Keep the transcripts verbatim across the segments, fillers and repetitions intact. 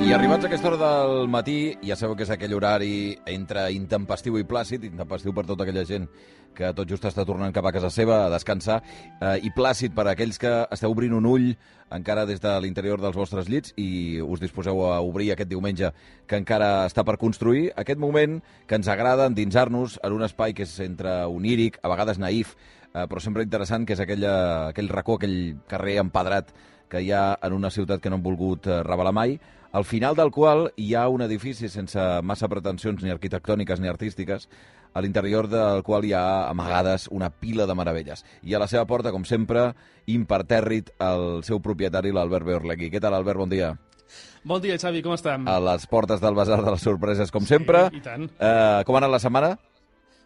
I arribats a aquesta hora del matí, ja sabeu que és aquell horari entre intempestiu i plàcid, intempestiu per tota aquella gent que tot just està tornant cap a casa seva a descansar, eh, i plàcid per a aquells que esteu obrint un ull encara des de l'interior dels vostres llits i us disposeu a obrir aquest diumenge que encara està per construir, aquest moment que ens agrada endinsar-nos en un espai que és entre oníric, a vegades naïf, eh, però sempre interessant, que és aquella, aquell racó, aquell carrer empedrat que hi ha en una ciutat que no han volgut eh, revelar mai, al final del qual hi ha un edifici sense massa pretensions ni arquitectòniques ni artístiques, a l'interior del qual hi ha amagades una pila de meravelles. I a la seva porta, com sempre, impertèrrit el seu propietari, l'Albert Beorlegui. Què tal, Albert? Bon dia. Bon dia, Xavi, com estem? A les portes del Basar de les Sorpreses, com sempre. Sí, i tant. Eh, com ha anat la setmana?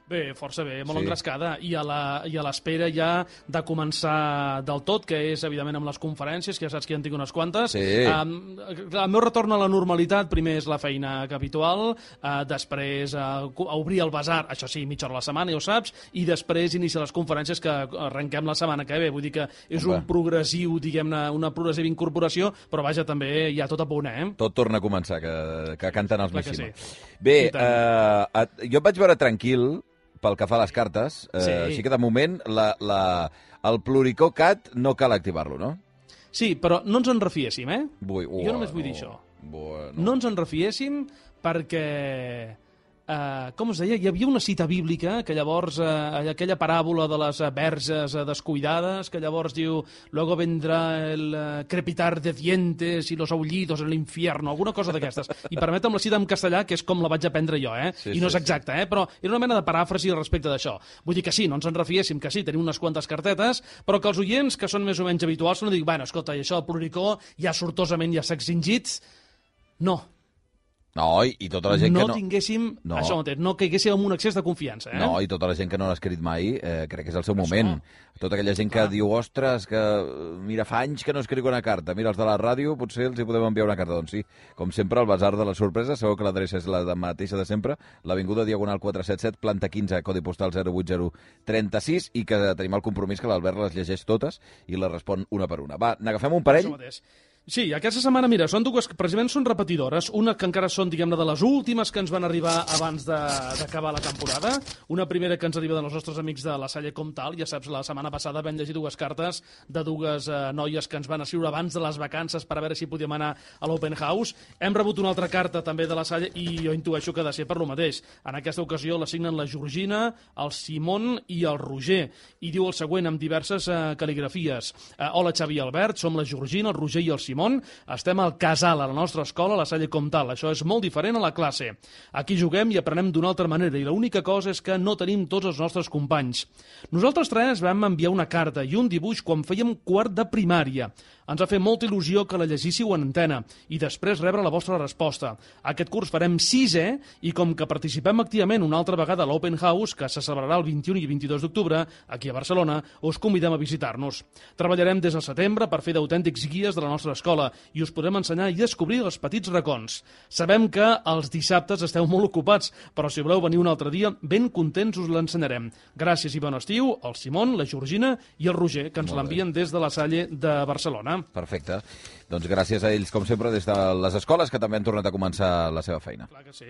Bé, força bé, molt Sí. engrescada, i a la- i a l'espera ja de començar del tot, que és, evidentment, amb les conferències, que ja saps que ja en tinc unes quantes. Sí. Um, el meu retorn a la normalitat, primer és la feina habitual, uh, després uh, a obrir el basar, això sí, mitja hora a la setmana, ja ho saps, i després iniciar les conferències que arrenquem la setmana que ve. Vull dir que és Home. un progressiu, diguem-ne, una progressiva incorporació, però vaja, també hi ha tot a punt, eh? Tot torna a començar, que, que canten els Clar que Mishima. sí. Bé, I tant. eh, jo et vaig veure tranquil pel que fa a les cartes, eh, Sí. així que de moment la, la, el Pluricó Cat no cal activar-lo, no? Sí, però no ens en refiéssim, eh? Vull, Jo només vull dir això. Bueno. No ens en refiéssim perquè, eh, com es deia, hi havia una cita bíblica que llavors, eh, aquella paràbola de les eh, verges eh, descuidades, que llavors diu luego vendrá el eh, crepitar de dientes y los aullidos en l'infierno, alguna cosa d'aquestes. I permetem la cita en castellà, que és com la vaig aprendre jo, eh? Sí, I no sí, és exacta, eh? Però era una mena de paràfrasi respecte d'això. Vull dir que sí, no ens en refiéssim, que sí, tenim unes quantes cartetes, però que els oients, que són més o menys habituals, no dic, bueno, escolta, i això del Pluricó ja sortosament ja s'ha extingit. No, No, i, i tota la gent no que no... tinguéssim, No. això mateix, no caiguéssim en un excés de confiança, eh? No, i tota la gent que no l'ha escrit mai, eh, crec que és el seu moment. Tota aquella gent que Clar. diu, ostres, que mira, fa anys que no escric una carta. Mira, els de la ràdio potser els hi podem enviar una carta. Doncs sí, com sempre, el Basar de les Sorpreses, sabeu que l'adreça és la de mateixa de sempre, l'Avinguda Diagonal quatre set set, planta quinze, codi postal zero vuit zero tres sis, i que tenim el compromís que l'Albert les llegeix totes i les respon una per una. Va, n'agafem un parell? Això mateix. Sí, aquesta setmana, mira, són dues, precisament són repetidores, una que encara són, diguem-ne, de les últimes que ens van arribar abans de- d'acabar la temporada, una primera que ens arriba dels nostres amics de la Salle Comtal, ja saps, la setmana passada vam llegir dues cartes de dues eh, noies que ens van escriure abans de les vacances per a veure si podíem anar a l'Open House. Hem rebut una altra carta també de la Salle i jo intueixo que ha de ser per lo mateix. En aquesta ocasió la signen la Georgina, el Simon i el Roger, i diu el següent amb diverses eh, cal·ligrafies. Eh, Hola, Xavi i Albert, som la Georgina, el Roger i el Simon. Estem al casal, a la nostra escola, a la Salle Comtal. Això és molt diferent a la classe. Aquí juguem i aprenem d'una altra manera, i l'única cosa és que no tenim tots els nostres companys. Nosaltres tres vam enviar una carta i un dibuix quan fèiem quart de primària. Ens va fer molta il·lusió que la llegíssiu en antena i després rebre la vostra resposta. Aquest curs farem sisè i com que participem activament una altra vegada a l'Open House, que se celebrarà el vint-i-u i vint-i-dos d'octubre, aquí a Barcelona, us convidem a visitar-nos. Treballarem des del setembre per fer d'autèntics guies de la nostra escola i us podrem ensenyar i descobrir els petits racons. Sabem que els dissabtes esteu molt ocupats, però si voleu venir un altre dia, ben contents us l'ensenyarem. Gràcies i bon estiu, el Simon, la Georgina i el Roger, que ens Molt bé. l'envien des de la Salle de Barcelona. Perfecte. Doncs gràcies a ells, com sempre, des de les escoles, que també han tornat a començar la seva feina. Clar que sí.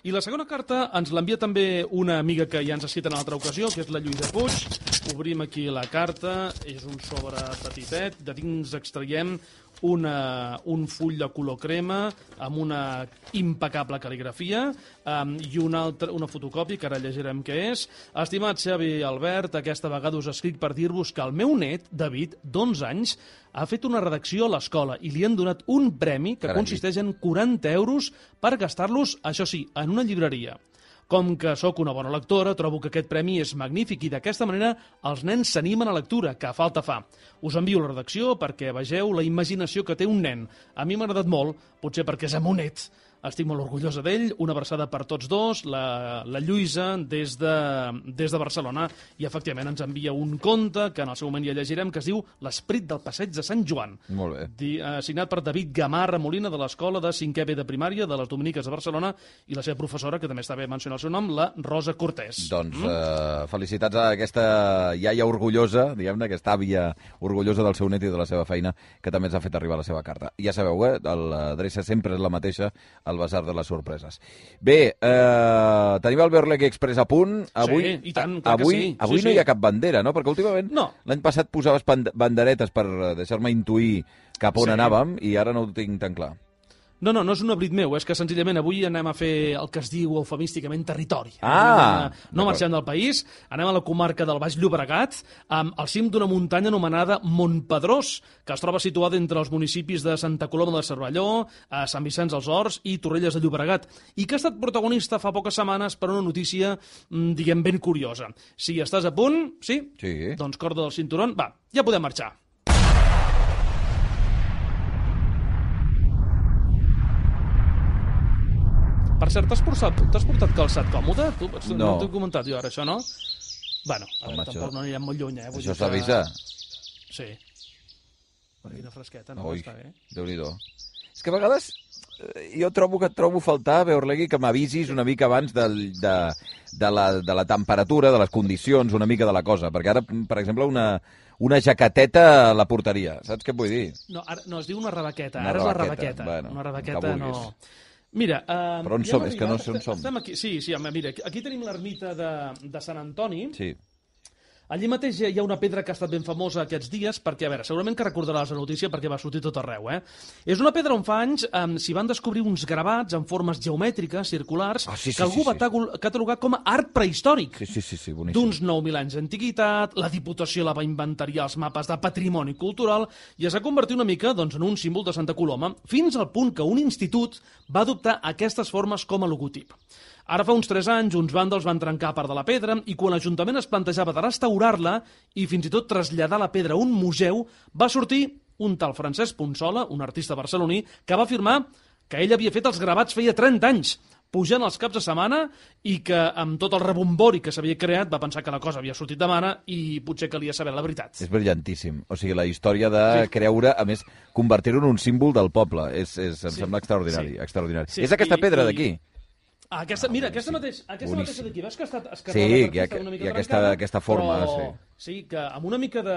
I la segona carta ens l'envia també una amiga que ja ens ha citat en una altra ocasió, que és la Lluïsa Puig. Obrim aquí la carta, és un sobre petitet, de dins extraiem una, un full de color crema amb una impecable cal·ligrafia um, i una, altra, una fotocòpia que ara llegirem què és. Estimat Xavi i Albert, aquesta vegada us escric per dir-vos que el meu net, David, d'onze anys, ha fet una redacció a l'escola i li han donat un premi que Carai. consisteix en quaranta euros per gastar-los, això sí, en una llibreria. Com que sóc una bona lectora, trobo que aquest premi és magnífic i d'aquesta manera els nens s'animen a lectura, que falta fa. Us envio la redacció perquè vegeu la imaginació que té un nen. A mi m'ha agradat molt, potser perquè és amonet, estic molt orgullosa d'ell, una abraçada per tots dos, la, la Lluïsa des de, des de Barcelona, i efectivament ens envia un conte que en el seu moment ja llegirem, que es diu L'Esprit del Passeig de Sant Joan. Molt bé. Di, eh, signat per David Gamarra Molina, de l'Escola de cinquè B de Primària de les Dominiques de Barcelona, i la seva professora, que també està bé mencionar el seu nom, la Rosa Cortés. Doncs mm? eh, felicitats a aquesta iaia orgullosa, diguem-ne, aquesta àvia orgullosa del seu net i de la seva feina, que també ens ha fet arribar la seva carta. Ja sabeu, eh? L'adreça sempre és la mateixa, al Basar de les Sorpreses. Bé, eh, tenim el Beorlegui Express a punt. Avui, sí, i tant, clar avui, que sí. avui sí, no sí. hi ha cap bandera, no? Perquè últimament no. l'any passat posaves banderetes per deixar-me intuir cap on sí. anàvem, i ara no ho tinc tan clar. No, no, no és un oblit meu, és que senzillament avui anem a fer el que es diu eufemísticament territori. Ah! A, no marxem del país, anem a la comarca del Baix Llobregat, amb al cim d'una muntanya anomenada Montpedrós, que es troba situada entre els municipis de Santa Coloma de Cervelló, a Sant Vicenç dels Horts i Torrelles de Llobregat, i que ha estat protagonista fa poques setmanes per una notícia, diguem, ben curiosa. Si estàs a punt, sí? Sí. Doncs corda del cinturó, va, ja podem marxar. Per cert, t'has portat, portat calçat còmode? Tu, no. No t'ho he comentat jo ara, això, no? Bueno, a veure, tampoc no anirem molt lluny, eh? Vull això s'avisa? Que... Sí. Per quina fresqueta, no? Ui, està bé. Déu-n'hi-do. És que a vegades jo trobo que et trobo faltar, Beorlegui, que m'avisis una mica abans de, de, de, la, de la temperatura, de les condicions, una mica de la cosa. Perquè ara, per exemple, una... una jaqueteta a la porteria, saps què et vull dir? No, ara, no, es diu una rebaqueta, una ara rebaqueta. És la rebaqueta. Bueno, una rebaqueta no... Mira, uh, però on som? És que no sé on som. Estem aquí, sí, sí, home, mira, aquí tenim l'ermita de, de Sant Antoni. Sí. Allí mateix hi ha una pedra que ha estat ben famosa aquests dies, perquè, a veure, segurament que recordaràs la notícia perquè va sortir tot arreu, eh? És una pedra on fa anys eh, s'hi van descobrir uns gravats en formes geomètriques, circulars, ah, sí, sí, que algú sí, va sí. catalogar com a art prehistòric. Sí, sí, sí, sí, boníssim. D'uns nou mil anys d'antiguitat, la Diputació la va inventariar els mapes de patrimoni cultural i es va convertir una mica doncs, en un símbol de Santa Coloma, fins al punt que un institut va adoptar aquestes formes com a logotip. Ara fa uns tres anys, uns vàndals van trencar part de la pedra i quan l'Ajuntament es plantejava de restaurar-la i fins i tot traslladar la pedra a un museu, va sortir un tal Francesc Ponsola, un artista barceloní, que va afirmar que ell havia fet els gravats feia trenta anys, pujant els caps de setmana, i que amb tot el rebombori que s'havia creat va pensar que la cosa havia sortit de mare i potser calia saber la veritat. És brillantíssim. O sigui, la història de sí. creure, a més, convertir-ho en un símbol del poble. És, és, em sí. sembla extraordinari. Sí. extraordinari. Sí. És aquesta I, pedra i... d'aquí. Ah, aquesta, mira, aquesta, mateix, aquesta mateixa d'aquí, veus que ha estat esquerrada sí, per ha, una mica i aquesta, trencada, aquesta forma, però, sí. Sí, que amb una mica de...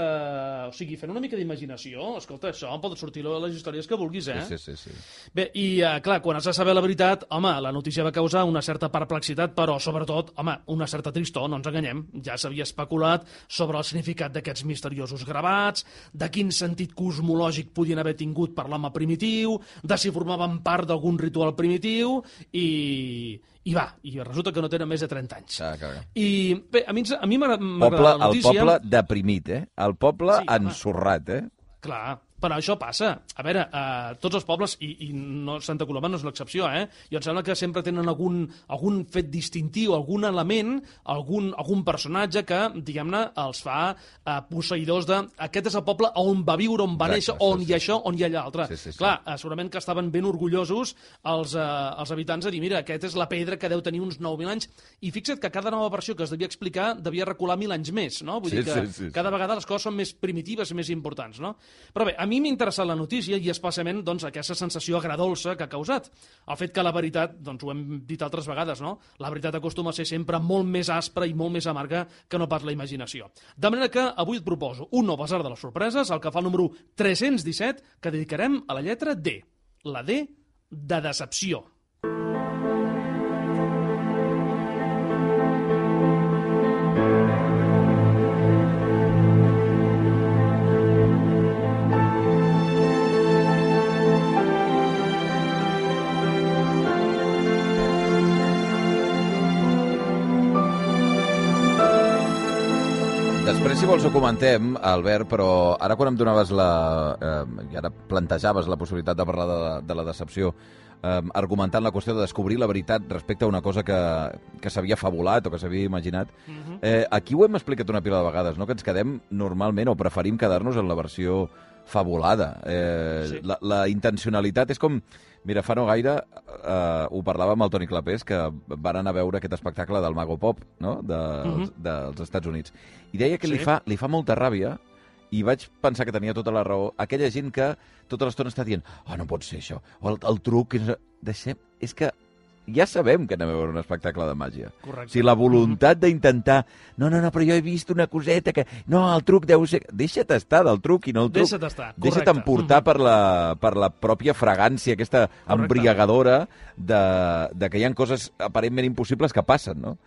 O sigui, fent una mica d'imaginació, escolta, això em poden sortir les històries que vulguis, eh? Sí, sí, sí. sí. Bé, i uh, clar, quan has de saber la veritat, home, la notícia va causar una certa perplexitat, però sobretot, home, una certa tristor, no ens enganyem. Ja s'havia especulat sobre el significat d'aquests misteriosos gravats, de quin sentit cosmològic podien haver tingut per l'home primitiu, de si formaven part d'algun ritual primitiu, i... I va, i resulta que no tenen més de trenta anys. Ah, clar. I bé, a mi, a mi m'agrada la notícia... El poble deprimit, eh? El poble sí, ensorrat, eh? Clar, però això passa. A veure, eh, tots els pobles, i, i no, Santa Coloma no és l'excepció, eh? I em sembla que sempre tenen algun, algun fet distintiu, algun element, algun, algun personatge que, diguem-ne, els fa eh, posseïdors de... Aquest és el poble on va viure, on va Exacte, néixer, on sí, hi ha sí. això, on hi ha l'altre. Sí, sí, sí. Clar, eh, segurament que estaven ben orgullosos els, eh, els habitants de dir, mira, aquesta és la pedra que deu tenir uns nou mil anys, i fixa't que cada nova versió que es devia explicar devia recular mil anys més, no? Vull sí, dir que sí, sí, cada vegada les coses són més primitives i més importants, no? Però bé, a mi m'ha interessat la notícia i especialment doncs, aquesta sensació agradolça que ha causat. El fet que la veritat, doncs ho hem dit altres vegades, no? La veritat acostuma a ser sempre molt més aspra i molt més amarga que no pas la imaginació. De manera que avui et proposo un nou Basar de les Sorpreses, el que fa el número tres-cents disset, que dedicarem a la lletra D. La D de decepció. Després, si vols, ho comentem, Albert, però ara quan em donaves la... Eh, i ara plantejaves la possibilitat de parlar de, de la decepció, eh, argumentant la qüestió de descobrir la veritat respecte a una cosa que, que s'havia fabulat o que s'havia imaginat, eh, aquí ho hem explicat una pila de vegades, no? Que ens quedem normalment, o preferim quedar-nos en la versió fabulada. Eh, sí. la, la intencionalitat és com... Mira, fa no gaire eh, ho parlava amb el Toni Clapés, que van anar a veure aquest espectacle del Mago Pop, no?, de, uh -huh. dels Estats Units. I deia que sí. li, fa, li fa molta ràbia, i vaig pensar que tenia tota la raó, aquella gent que tota l'estona està dient oh, no pot ser això, o el, el truc... Deixem... És que ja sabem que anem a veure un espectacle de màgia. Correcte. O sigui, la voluntat d'intentar... No, no, no, però jo he vist una coseta que... No, el truc deu ser... Deixa't estar del truc i no el truc. Deixa't estar, Deixa't emportar per la, per la pròpia fragància, aquesta correcte. Embriagadora de, de que hi ha coses aparentment impossibles que passen, no?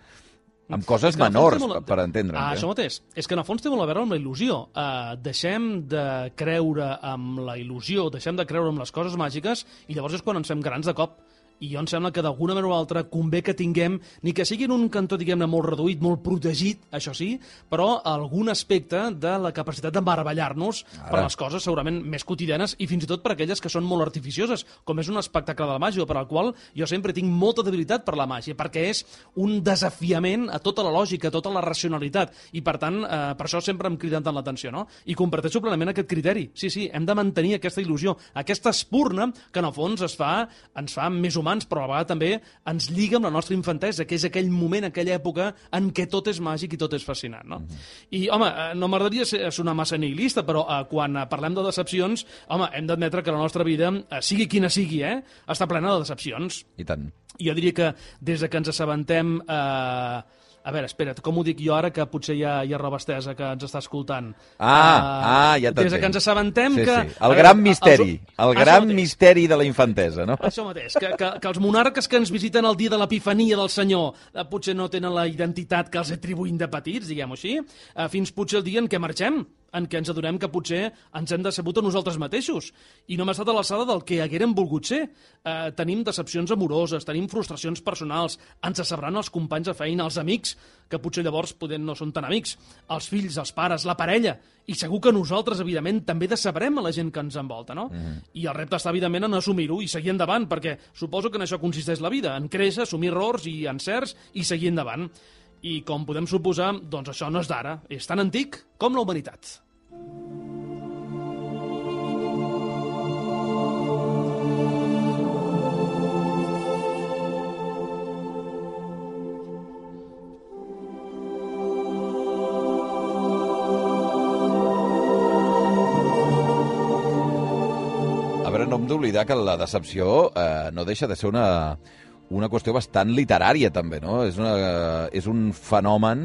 Amb coses menors, molt... per entendre'ns. Ah, eh? Això mateix. És que en el fons té molt a veure amb la il·lusió. Uh, deixem de creure amb la il·lusió, deixem de creure amb les coses màgiques i llavors és quan ens fem grans de cop. I jo em sembla que d'alguna manera o altra convé que tinguem, ni que sigui en un cantó, diguem-ne, molt reduït, molt protegit, això sí, però algun aspecte de la capacitat de meravellar-nos per les coses segurament més quotidianes i fins i tot per aquelles que són molt artificioses, com és un espectacle de la màgia, per al qual jo sempre tinc molta debilitat per la màgia, perquè és un desafiament a tota la lògica, a tota la racionalitat, i per tant, eh, per això sempre em criden tant l'atenció, no? I comparteixo plenament aquest criteri. Sí, sí, hem de mantenir aquesta il·lusió, aquesta espurna que en el fons es fa, ens fa més humans, però a la vegada també ens lliga amb la nostra infantesa, que és aquell moment, aquella època en què tot és màgic i tot és fascinant, no? Mm-hmm. I, home, no m'agradaria sonar massa nihilista, però eh, quan parlem de decepcions, home, hem d'admetre que la nostra vida, eh, sigui quina sigui, eh, està plena de decepcions. I tant. I jo diria que des de que ens assabentem... Eh, A veure, espera't, com ho dic jo ara, que potser hi ha, hi ha roba estesa que ens està escoltant? Ah, uh, ah ja t'entenc. Des que ens assabentem sí, que... Sí. El gran veure, misteri, els... el gran misteri de la infantesa, no? Això mateix, que, que, que els monarques que ens visiten el dia de l'epifania del senyor eh, potser no tenen la identitat que els atribuïm de petits, diguem-ho així, eh, fins potser el dia en què marxem, en què ens adonem que potser ens hem decebut a nosaltres mateixos i no hem estat a l'alçada del que haguérem volgut ser. Eh, tenim decepcions amoroses, tenim frustracions personals, ens decebran els companys de feina, els amics, que potser llavors poder no són tan amics, els fills, els pares, la parella, i segur que nosaltres, evidentment, també decebrem a la gent que ens envolta, no? Mm. I el repte està, evidentment, en assumir-ho i seguir endavant, perquè suposo que en això consisteix la vida, en créixer, assumir errors i encerts i seguir endavant. I com podem suposar, doncs això no és d'ara, és tan antic com la humanitat. A veure, no hem d'oblidar que la decepció eh, no deixa de ser una... una qüestió bastant literària, també, no? És, una, és un fenomen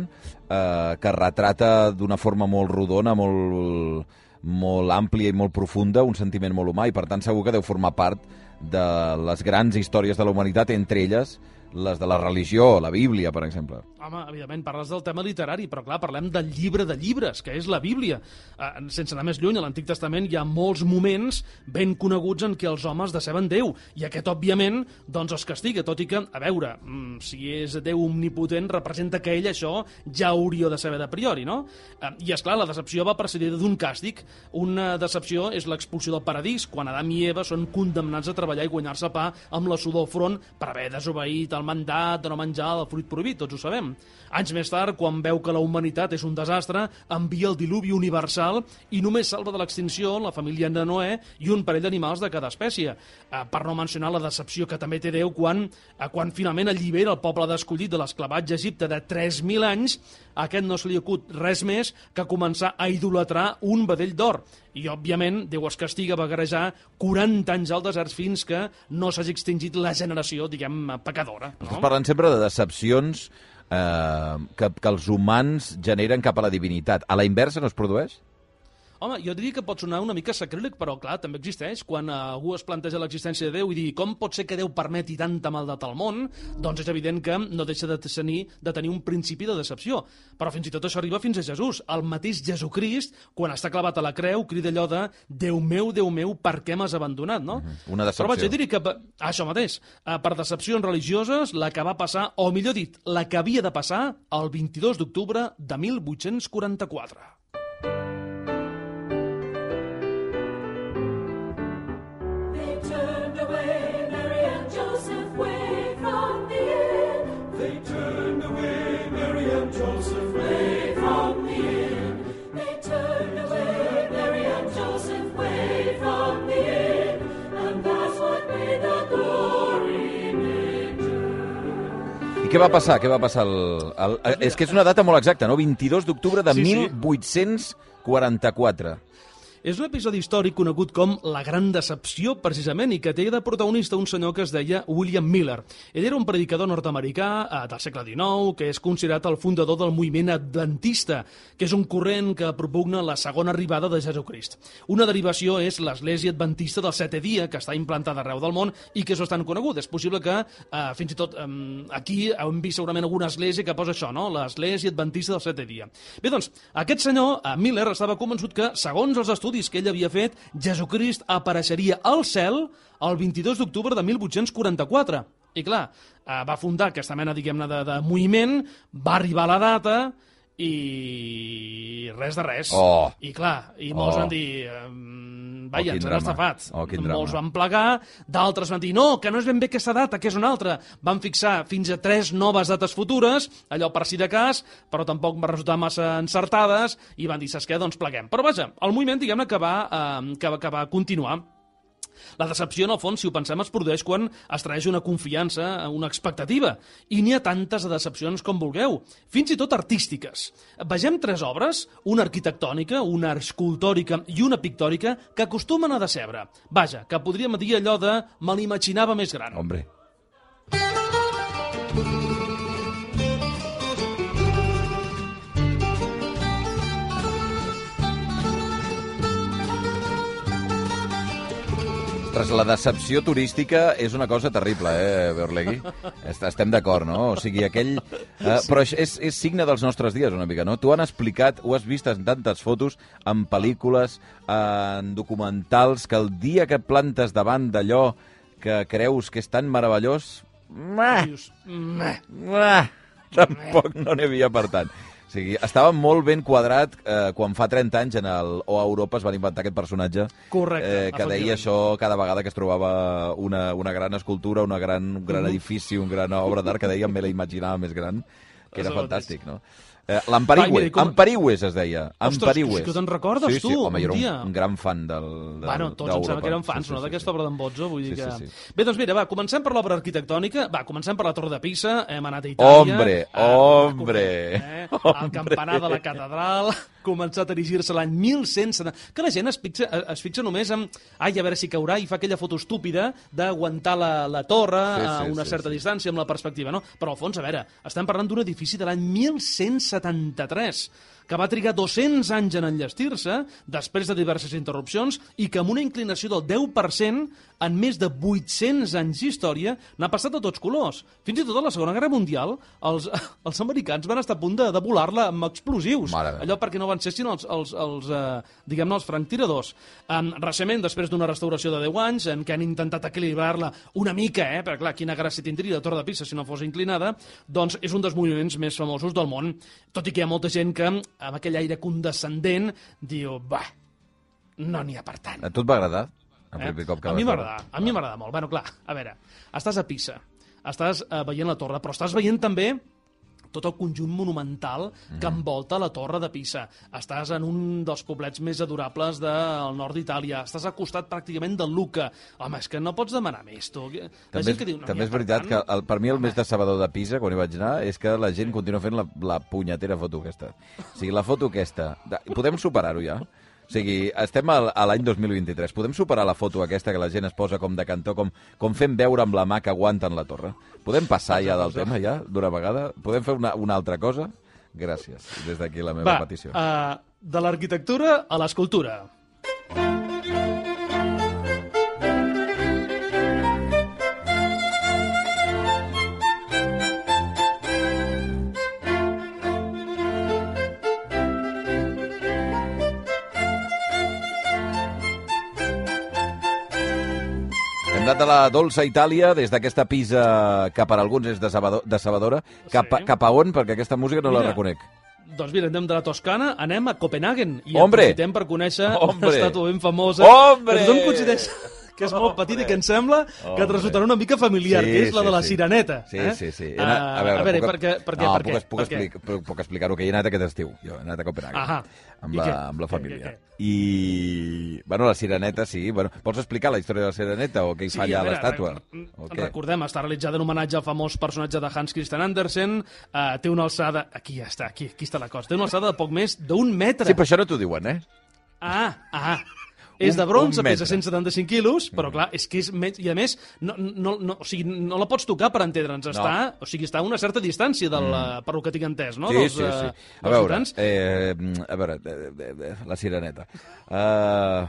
eh, que retrata d'una forma molt rodona, molt, molt àmplia i molt profunda un sentiment molt humà, i per tant segur que deu formar part de les grans històries de la humanitat, entre elles les de la religió, la Bíblia, per exemple. Home, evidentment, parles del tema literari, però clar, parlem del llibre de llibres, que és la Bíblia. Eh, sense anar més lluny, a l'Antic Testament hi ha molts moments ben coneguts en què els homes deceben Déu, i aquest, òbviament, doncs els castiga, tot i que, a veure, si és Déu omnipotent, representa que ell això ja hauria de saber de priori, no? Eh, I, esclar, la decepció va precedida d'un càstig. Una decepció és l'expulsió del paradís, quan Adam i Eva són condemnats a treballar i guanyar-se pa amb la sudor al front per haver desobeït el mandat de no menjar el fruit prohibit, tots ho sabem. Anys més tard, quan veu que la humanitat és un desastre, envia el diluvi universal i només salva de l'extinció la família de Noè i un parell d'animals de cada espècie. Eh, per no mencionar la decepció que també té Déu quan, eh, quan finalment allibera el poble d'escollit de l'esclavatge a Egipte de tres mil anys, a aquest no se li acut res més que començar a idolatrar un vedell d'or. I, òbviament, Déu es castiga a vagarejar quaranta anys al desert fins que no s'hagi extingit la generació, diguem, pecadora. No? Estàs parlant sempre de decepcions eh, que, que els humans generen cap a la divinitat. A la inversa no es produeix? Home, jo diria que pot sonar una mica sacríleg, però clar, també existeix. Quan algú es planteja l'existència de Déu i dir com pot ser que Déu permeti tanta maldat al món, doncs és evident que no deixa de tenir, de tenir un principi de decepció. Però fins i tot això arriba fins a Jesús. El mateix Jesucrist, quan està clavat a la creu, crida allò de Déu meu, Déu meu, per què m'has abandonat, no? Una decepció. Però vaig, jo diria que, això mateix, per decepcions religioses, la que va passar, o millor dit, la que havia de passar el vint-i-dos d'octubre de mil vuit-cents quaranta-quatre. Joseph way from the inn. They turned away, Mary and Joseph way. I què va passar? Què va passar? El, el, el, és que és una data molt exacta, no? vint-i-dos d'octubre de sí, sí. mil vuit-cents quaranta-quatre. És un episodi històric conegut com La Gran Decepció, precisament, i que té de protagonista un senyor que es deia William Miller. Ell era un predicador nord-americà eh, del segle dinou, que és considerat el fundador del moviment adventista, que és un corrent que propugna la segona arribada de Jesucrist. Una derivació és l'Església Adventista del Setè Dia, que està implantada arreu del món i que és bastant conegut. És possible que, eh, fins i tot, eh, aquí hem vist segurament alguna església que posa això, no? L'Església Adventista del Setè Dia. Bé, doncs, aquest senyor, eh, Miller, estava convençut que, segons els estudis que ell havia fet, Jesucrist apareixeria al cel el vint-i-dos d'octubre de mil vuit-cents quaranta-quatre. I clar, va fundar aquesta mena, diguem-ne, de, de moviment, va arribar la data i res de res. Oh. I clar, i molts oh. van dir... Vaja, oh, ens han estafat. Oh, molts van plegar, d'altres van dir no, que no és ben bé aquesta data, que és una altra. Van fixar fins a tres noves dates futures, allò per si de cas, però tampoc va resultar massa encertades, i van dir, saps què, doncs pleguem. Però vaja, el moviment, diguem-ne, que, va, eh, que, que va continuar. La decepció, en el fons, si ho pensem, es produeix quan es traeix una confiança, una expectativa. I n'hi ha tantes decepcions com vulgueu, fins i tot artístiques. Vegem tres obres, una arquitectònica, una escultòrica i una pictòrica, que acostumen a decebre. Vaja, que podríem dir allò de me l'imaginava més gran. Hombre. Ostres, la decepció turística és una cosa terrible, eh, Beorlegui? Estem d'acord, no? O sigui, aquell... Eh, però és, és signe dels nostres dies, una mica, no? Tu han explicat, ho has vist en tantes fotos, en pel·lícules, en documentals, que el dia que plantes davant d'allò que creus que és tan meravellós... Meh, meh, tampoc no n'hi havia per tant. O sigui, estava molt ben quadrat eh, quan fa trenta anys en el O Europa es van inventar aquest personatge. Correcte, eh, que deia això cada vegada que es trobava una, una gran escultura, una gran, un gran uh-huh. edifici, una gran obra d'art, que deia me la imaginava més gran, que era fantàstic, no? Eh, L'Amparigüe, com... Amparigües es deia. Ostres, que te'n recordes, sí, tu? Sí, home, un jo dia. era un, un gran fan del, del Bueno, tots em sembla que eren fans, sí, sí, no? sí, D'aquesta sí. obra d'en Bozzo, vull dir sí, que... Sí, sí. Bé, doncs mira, va, comencem per l'obra arquitectònica, va, comencem per la Torre de Pisa, hem anat a Itàlia... Hombre, eh, hombre! Eh, el campanar de la catedral, començat a erigir-se l'any mil cent setanta... Que la gent es fixa, es fixa només en... Ai, a veure si caurà, i fa aquella foto estúpida d'aguantar la, la torre sí, sí, a una sí, certa sí. distància amb la perspectiva, no? Però al fons, a veure, estem parlant d'un edifici de l'any mil cent setanta-tres, que va trigar dos-cents anys en enllestir-se, després de diverses interrupcions, i que amb una inclinació del deu per cent, en més de vuit-cents anys d'història, n'ha passat de tots colors. Fins i tot a la Segona Guerra Mundial, els, els americans van estar a punt de, de volar-la amb explosius. Allò perquè no van ser sinó els, els, els, eh, diguem-ne, els franctiradors. Um, recentment, després d'una restauració de deu anys, en què han intentat equilibrar-la una mica, eh, perquè clar, quina gràcia tindria la Torre de Pisa si no fos inclinada, doncs és un dels moviments més famosos del món. Tot i que hi ha molta gent que, amb aquell aire condescendent, diu, bah, no n'hi ha per tant. A tu et va agradar? Eh? Cop que a mi m'agrada, a mi m'agrada molt. Bueno, clar, a veure, estàs a Pisa, estàs uh, veient la torre, però estàs veient també tot el conjunt monumental que envolta la Torre de Pisa. Estàs en un dels poblets més adorables del nord d'Itàlia. Estàs al costat pràcticament del Lucca. Home, és que no pots demanar més, tu. La també és, que diu, no també és veritat tant... que el, per mi el Home. més decebedor de Pisa, quan hi vaig anar, és que la gent continua fent la, la punyetera foto aquesta. O sigui, la foto aquesta... Podem superar-ho ja? O sigui, estem a, a l'any dos mil vint-i-tres. Podem superar la foto aquesta que la gent es posa com de cantó, com, com fent veure amb la mà que aguanten la torre? Podem passar ja del tema, ja, d'una vegada? Podem fer una, una altra cosa? Gràcies. Des d'aquí la meva Va, petició. Uh, de l'arquitectura a l'escultura. Hem anat a la dolça Itàlia, des d'aquesta Pisa que per alguns és decebedora, cap, sí. cap a on? Perquè aquesta música no mira, la reconec. Doncs mira, anem de la Toscana, anem a Copenhagen i Hombre. aprofitem per conèixcer Hombre. una estàtua ben famosa. Hombre. Que tothom coincideix que és molt petit i que em sembla Oh, que et resultarà una mica familiar, sí, que és la sí, de la sí. Sireneta. Sí, eh? sí, sí. Uh, Anat, a veure, a veure puc, per què? Per què? no, per puc, què? puc, Per què? explicar, puc, puc explicar-ho, que hi he anat aquest estiu. Jo he anat a Copenhague. Ahà. Amb I la, què? amb la Què, família. què, què? I, bueno, la Sireneta, sí. Bueno, vols explicar la història de la Sireneta o què hi fa Sí, allà a a veure, l'estàtua? re- O què? Recordem, està realitzada en homenatge al famós personatge de Hans Christian Andersen. Uh, té una alçada... Aquí ja està, aquí, aquí està la cosa. Té una alçada de poc més d'un metre. Sí, però això no t'ho diuen, eh? Ah, ah. És Un- de bronze, un pesa metre. cent setanta-cinc quilos, però clar, és que és... Més, i a més, no, no, no, o sigui, no la pots tocar per entendre'ns. Està, o sigui, està a una certa distància del, mm. per lo que tinc entès, no? Sí, dels, sí, sí. eh, A dels veure, ciutadans. eh, a veure, eh, eh, eh, la Sireneta. Uh,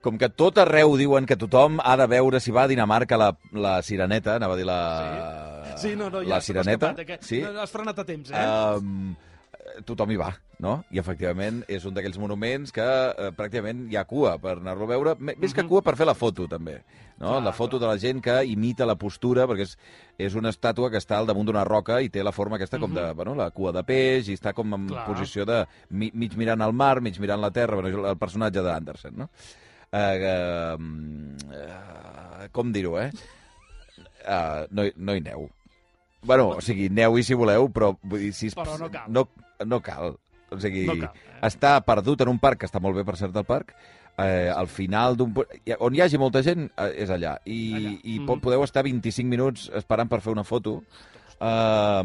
com que tot arreu diuen que tothom ha de veure si va a Dinamarca la, la Sireneta, anava a dir la... Sí, no, no, ja la se m'ha Sireneta. escapat, eh, que Sí. no has frenat a temps, eh? Um, tothom hi va, no? I efectivament és un d'aquells monuments que eh, pràcticament hi ha cua per anar-lo a veure, M- més que cua per fer la foto també, no? Clar, La foto de la gent que imita la postura, perquè és, és una estàtua que està al damunt d'una roca i té la forma aquesta com de, bueno, la cua de peix i està com en Clar. posició de mi, mig mirant al mar, mig mirant la terra, bueno, el personatge d'Andersen, no? Uh, uh, com dir-ho, eh? Uh, no, hi- no hi neu. Bueno, o sigui, neu-hi si voleu, però vull dir, si... Però no cal. No, no cal. O sigui, No cal, eh? està perdut en un parc, que està molt bé, per cert, el parc, eh, al final d'un... pu- on hi hagi molta gent, eh, és allà. I, Allà. i Mhm. po- podeu estar vint-i-cinc minuts esperant per fer una foto eh,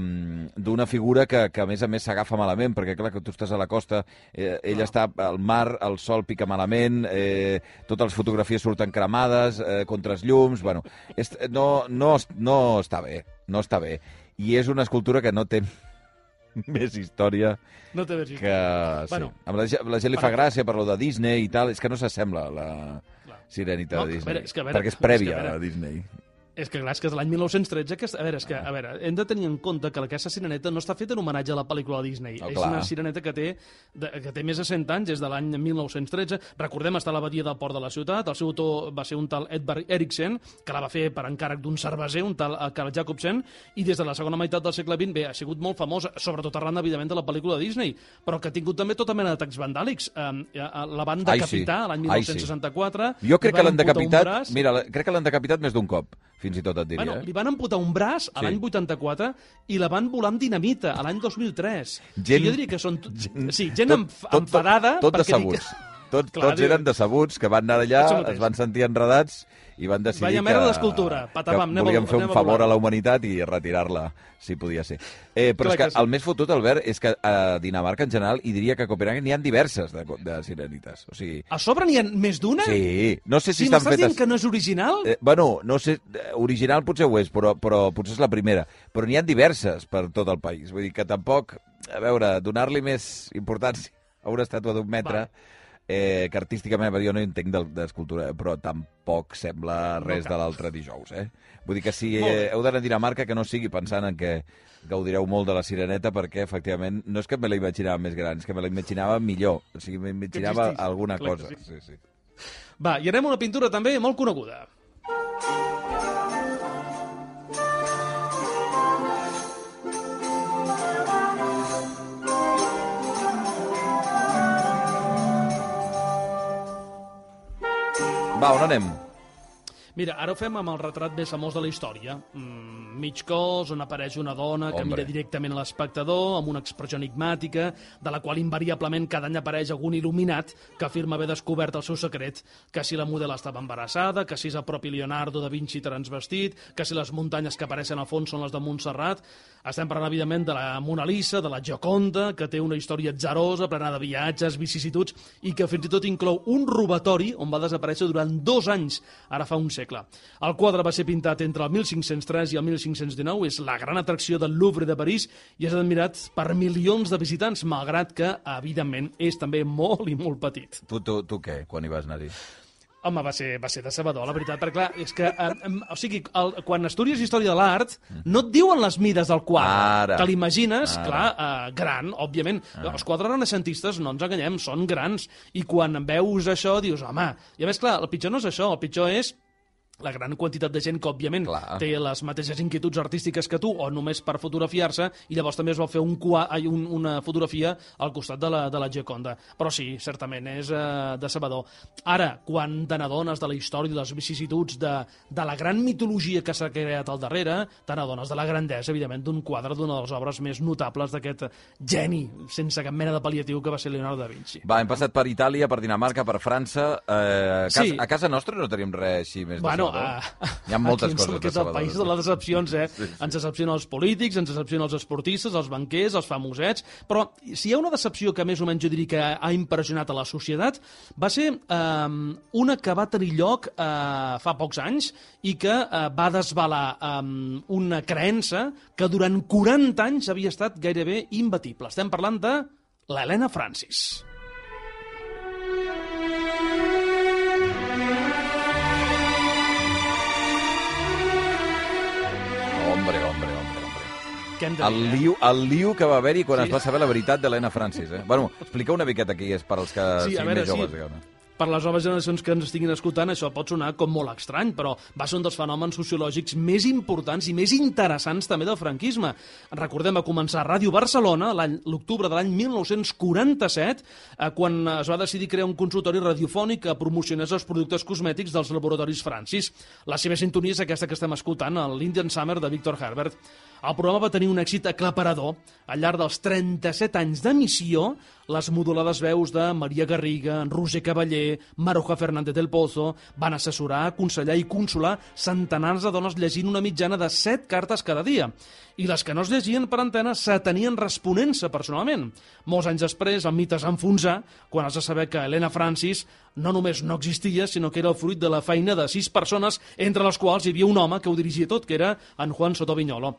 d'una figura que, que, a més a més, s'agafa malament, perquè, clar, que tu estàs a la costa, eh, ell Clar. està al mar, el sol pica malament, eh, totes les fotografies surten cremades, eh, contra els llums... Bueno, és, no, no, no està bé, no està bé. I és una escultura que no té més història No té més que... Sí. Bueno, Amb la, ge- la gent li fa per- gràcia per lo de Disney i tal, és que no s'assembla a la Clar. Sirenita No, de que a Disney, veure, és que a veure, perquè és és que a prèvia veure. a Disney. És que, clar, és que és l'any mil nou-cents tretze, que, a veure, és que, a veure, hem de tenir en compte que aquesta sireneta no està feta en homenatge a la pel·lícula de Disney. Oh, és clar. una sireneta que té, de, que té més de cent anys, és de l'any mil nou-cents tretze. Recordem, està a l'abadia del port de la ciutat. El seu autor va ser un tal Edvard Eriksen, que la va fer per encàrrec d'un cerveser, un tal eh, Carl Jacobsen, i des de la segona meitat del segle vint, bé, ha sigut molt famosa, sobretot arran, evidentment, de la pel·lícula de Disney, però que ha tingut també tota mena d'atacs vandàlics. Eh, la van Ai, sí. decapitar l'any Ai, mil nou-cents sí. seixanta-quatre. Jo crec li que van l'han amputar un decapitat, braç. mira, la- crec que l'han decapitat més d'un cop, fins i tot et diria. Bueno, eh? li van amputar un braç a Sí. l'any vuitanta-quatre i la van volar amb dinamita a l'any dos mil tres. Gent- O sigui, jo diria que són... Gent, sí, gent Tot- enf tot- enfadada... Tot perquè decebuts. Tot, Clar, tots diu- eren decebuts, que van anar allà, Això mateix. es van sentir enredats i van decidir Vaya que, merda d'escultura, que patabam, anem a- volien fer un anem a favor volar. a la humanitat i retirar-la, si podia ser. Eh, però Clar és que, que sí. el més fotut, Albert, és que a Dinamarca en general, i diria que a Copenhague n'hi ha diverses de, de sirenites. O sigui, A sobre n'hi ha més d'una? sí, no sé si Si estan m'estàs fetes... dient que no és original? Eh, bueno, no sé, eh, original potser ho és, però, però potser és la primera. Però n'hi ha diverses per tot el país. Vull dir que tampoc, a veure, donar-li més importància a una estàtua d'un metre, eh, que artísticament, jo no entenc del- d'escultura, però tampoc sembla res cal. de l'altre dijous, eh? Vull dir que si Molt bé. eh, heu d'anar a Dinamarca, que no sigui pensant en que gaudireu molt de la Sireneta, perquè, efectivament, no és que me la imaginava més gran, és que me la imaginava millor. O sigui, m'imaginava existís. alguna Clar que cosa. sí. Sí, sí. Va, i anem a una pintura també molt coneguda. Va, on anem? Mira, ara ho fem amb el retrat més famós de la història. Mm, mig cos, on apareix una dona que Hombre. mira directament a l'espectador, amb una expressió enigmàtica, de la qual invariablement cada any apareix algun il·luminat que afirma haver descobert el seu secret, que si la model estava embarassada, que si és el propi Leonardo da Vinci transvestit, que si les muntanyes que apareixen al fons són les de Montserrat. Estem parlant, evidentment, de la Mona Lisa, de la Gioconda, que té una història atzarosa, plena de viatges, vicissituds, i que fins i tot inclou un robatori on va desaparèixer durant dos anys, ara fa un segle. El quadre va ser pintat entre el mil cinc-cents tres i el mil cinc-cents dinou, és la gran atracció del Louvre de París i és admirat per milions de visitants, malgrat que, evidentment, és també molt i molt petit. Tu, tu, tu què, quan hi vas anar-hi? Home, va ser, va ser decebedor, la veritat, perquè clar, és que, eh, em, o sigui, el, quan estudies història de l'art, no et diuen les mides del quadre. Ara. Te l'imagines, Ara. clar, eh, gran, òbviament. Els quadres renaixentistes, no ens enganyem, són grans. I quan veus això, dius, home... I a més, clar, el pitjor no és això, el pitjor és la gran quantitat de gent que, òbviament, Clar. té les mateixes inquietuds artístiques que tu, o només per fotografiar-se, i llavors també es va fer un, un, una fotografia al costat de la, de la Gioconda. Però sí, certament, és eh, decebedor. Ara, quan te n'adones de la història i les vicissituds de, de la gran mitologia que s'ha creat al darrere, te n'adones de la grandesa, evidentment, d'un quadre d'una de les obres més notables d'aquest geni, sense cap mena de pal·liatiu, que va ser Leonardo da Vinci. Va, hem passat per Itàlia, per Dinamarca, per França. Eh, a, casa, Sí. a casa nostra no tenim res així més Bueno, decebedor. uh, Hi ha moltes aquí coses que és el país de les decepcions, eh? Sí, sí. Ens decepcionen els polítics, ens decepcionen els esportistes, els banquers, els famosets, però si hi ha una decepció que més o menys jo diria que ha impressionat a la societat, va ser eh, una que va tenir lloc eh, fa pocs anys i que eh, va desvelar eh, una creença que durant quaranta anys havia estat gairebé imbatible. Estem parlant de l'Helena Francis. Hombre, hombre, hombre, hombre. Què hem de El dir, eh? lío, el lío que va haver-hi quan Sí. es va saber la veritat d'Helena Francis, eh? Bueno, explica una miqueta qui és per als que Sí, a siguin veure, més joves, sí. diguem-ne. Per les noves generacions que ens estiguin escoltant, això pot sonar com molt estrany, però va ser un dels fenòmens sociològics més importants i més interessants també del franquisme. Recordem, va començar a Ràdio Barcelona l'any- l'octubre de l'any mil nou-cents quaranta-set, eh, quan es va decidir crear un consultori radiofònic que promocionés els productes cosmètics dels laboratoris Francis. La seva sintonia és aquesta que estem escoltant, l'Indian Summer de Victor Herbert. El programa va tenir un èxit aclaparador. Al llarg dels trenta-set anys d'emissió, les modulades veus de Maria Garriga, Roger Cavaller, Maruja Fernández del Pozo van assessorar, aconsellar i consolar centenars de dones llegint una mitjana de set cartes cada dia. I les que no es llegien per antena s'atenien responent-se personalment. Molts anys després, el mite es va enfonsar quan es va saber que Helena Francis no només no existia, sinó que era el fruit de la feina de sis persones, entre les quals hi havia un home que ho dirigia tot, que era en Juan Soto Viñolo.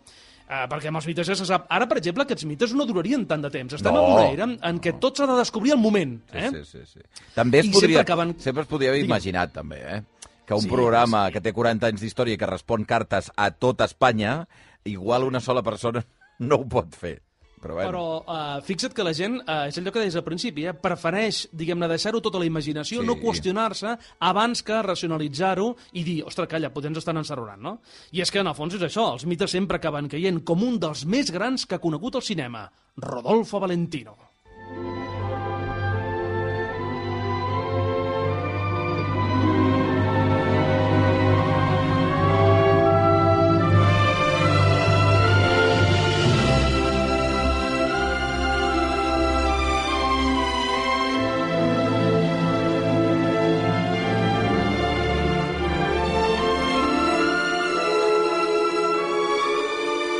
Uh, perquè amb els mites ja se sap. Ara, per exemple, aquests mites no durarien tant de temps. Estem No. en una era en què tot s'ha de descobrir al moment. Eh? Sí, sí, sí. També es I podria, sempre acaben- sempre es podria haver Digue'm. imaginat, també, eh? Que un Sí, programa sí. que té quaranta anys d'història i que respon cartes a tota Espanya, igual una sola persona no ho pot fer. Però, bueno. Però uh, fixa't que la gent, uh, és allò que deies al principi, eh, prefereix, diguem-ne, deixar-ho tot a la imaginació, Sí. no qüestionar-se, abans que racionalitzar-ho i dir, ostres, calla, potser ens estan encerrorant, no? I és que, en el fons, és això, els mites sempre acaben caient com un dels més grans que ha conegut el cinema, Rodolfo Valentino.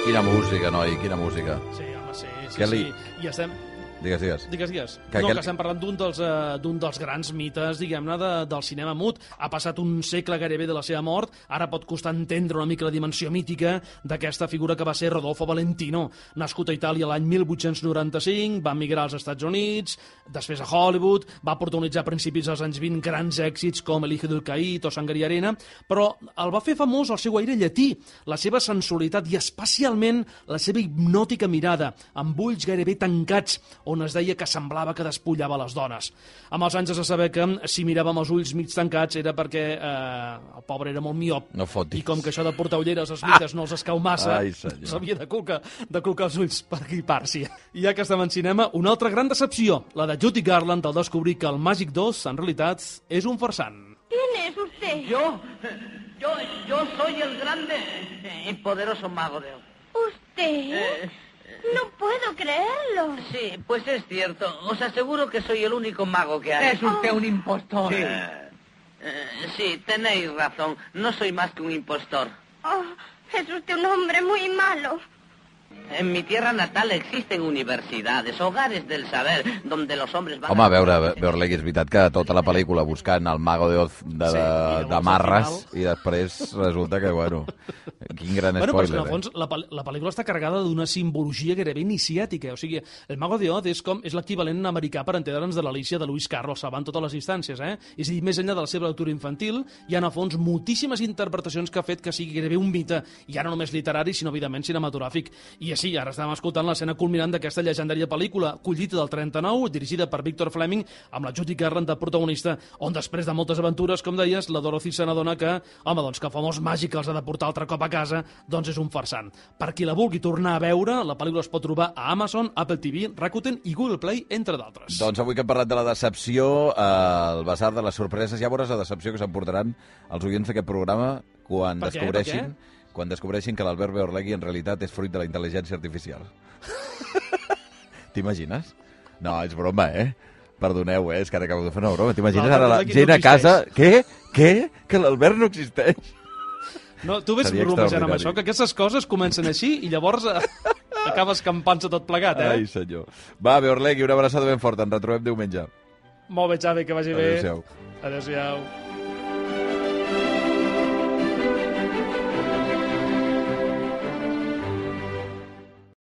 Quina música, noi, quina música. Sí, home, sí, sí, Què li- sí. I estem... Digues, digues. Digues, digues. Que no, aquell- que estem parlant d'un dels, uh, d'un dels grans mites, diguem-ne, de, del cinema mut. Ha passat un segle gairebé de la seva mort, ara pot costar entendre una mica la dimensió mítica d'aquesta figura que va ser Rodolfo Valentino. Nascut a Itàlia l'any mil vuit-cents noranta-cinc, va emigrar als Estats Units, després a Hollywood, va protagonitzar a principis dels anys vint grans èxits com El hijo del Caín o Sangre y Arena, però el va fer famós el seu aire llatí, la seva sensualitat i especialment la seva hipnòtica mirada, amb ulls gairebé tancats, on es deia que semblava que despullava les dones. Amb els anys es va saber que si miràvem els ulls mig tancats era perquè eh, el pobre era molt miop. No fotis. I com que això de portar ulleres als mites no els escau massa, Ai, senyor. s'havia de colcar, de colcar els ulls per gripar-s'hi. I ja que estem en cinema, una altra gran decepció, la de Judy Garland al descobrir que el Màgic dos, en realitat, és un farsant. ¿Quién es usted? Yo, yo, yo soy el grande y poderoso mago de Oz. ¿Usted? Eh, No puedo creerlo. sí, pues es cierto. Os aseguro que soy el único mago que hay. Es usted un impostor. Sí. Eh, sí, tenéis razón. No soy más que un impostor. Oh, es usted un hombre muy malo. En mi tierra natal existen universidades, hogares del saber, donde los hombres van Home, a veure, a... veure-li, és veritat que tota la pel·lícula buscant el Mago de Oz de, Sí, de, i de llavors, marres al final- i després resulta que, bueno, quin gran Bueno, però és que, spoiler, en el fons, la, pel- la pel·lícula està carregada d'una simbologia gairebé iniciàtica. O sigui, el Mago de Oz és com és l'equivalent americà per entendre'ns de l'Alícia de Lewis Carroll, salvant totes les distàncies, eh? És a dir, més enllà de la seva lectura infantil, hi ha, en el fons, moltíssimes interpretacions que ha fet que sigui gairebé un mite, i ja no només literari, sinó, evidentment, cinematogràfic. I és sí, ara estàvem escoltant l'escena culminant d'aquesta llegendària pel·lícula, Collita del trenta-nou, dirigida per Víctor Fleming, amb la Judy Garland de protagonista, on després de moltes aventures, com deies, la Dorothy se n'adona que, home, doncs que el famós màgic que els ha de portar altre cop a casa, doncs és un farsant. Per qui la vulgui tornar a veure, la pel·lícula es pot trobar a Amazon, Apple T V, Rakuten i Google Play, entre d'altres. Doncs avui que hem parlat de la decepció, eh, el basar de les sorpreses, ja veuràs la decepció que s'emportaran els oients d'aquest programa quan Per què? descobreixin... Per què? quan descobreixin que l'Albert Beorlegui en realitat és fruit de la intel·ligència artificial. T'imagines? No, és broma, eh? Perdoneu, eh? És que ara acabo de fer una broma. T'imagines ara la gent a casa... Què? Què? Que l'Albert no existeix? No, tu ves Seria bromejant amb extraordinari. això, que aquestes coses comencen així i llavors eh, acabes campant-se tot plegat, eh? Ai, senyor. Va, Beorlegui, una abraçada ben forta. Ens retrobem diumenge. Molt bé, Xavi, que vagi bé. Adéu-siau. Adéu-siau.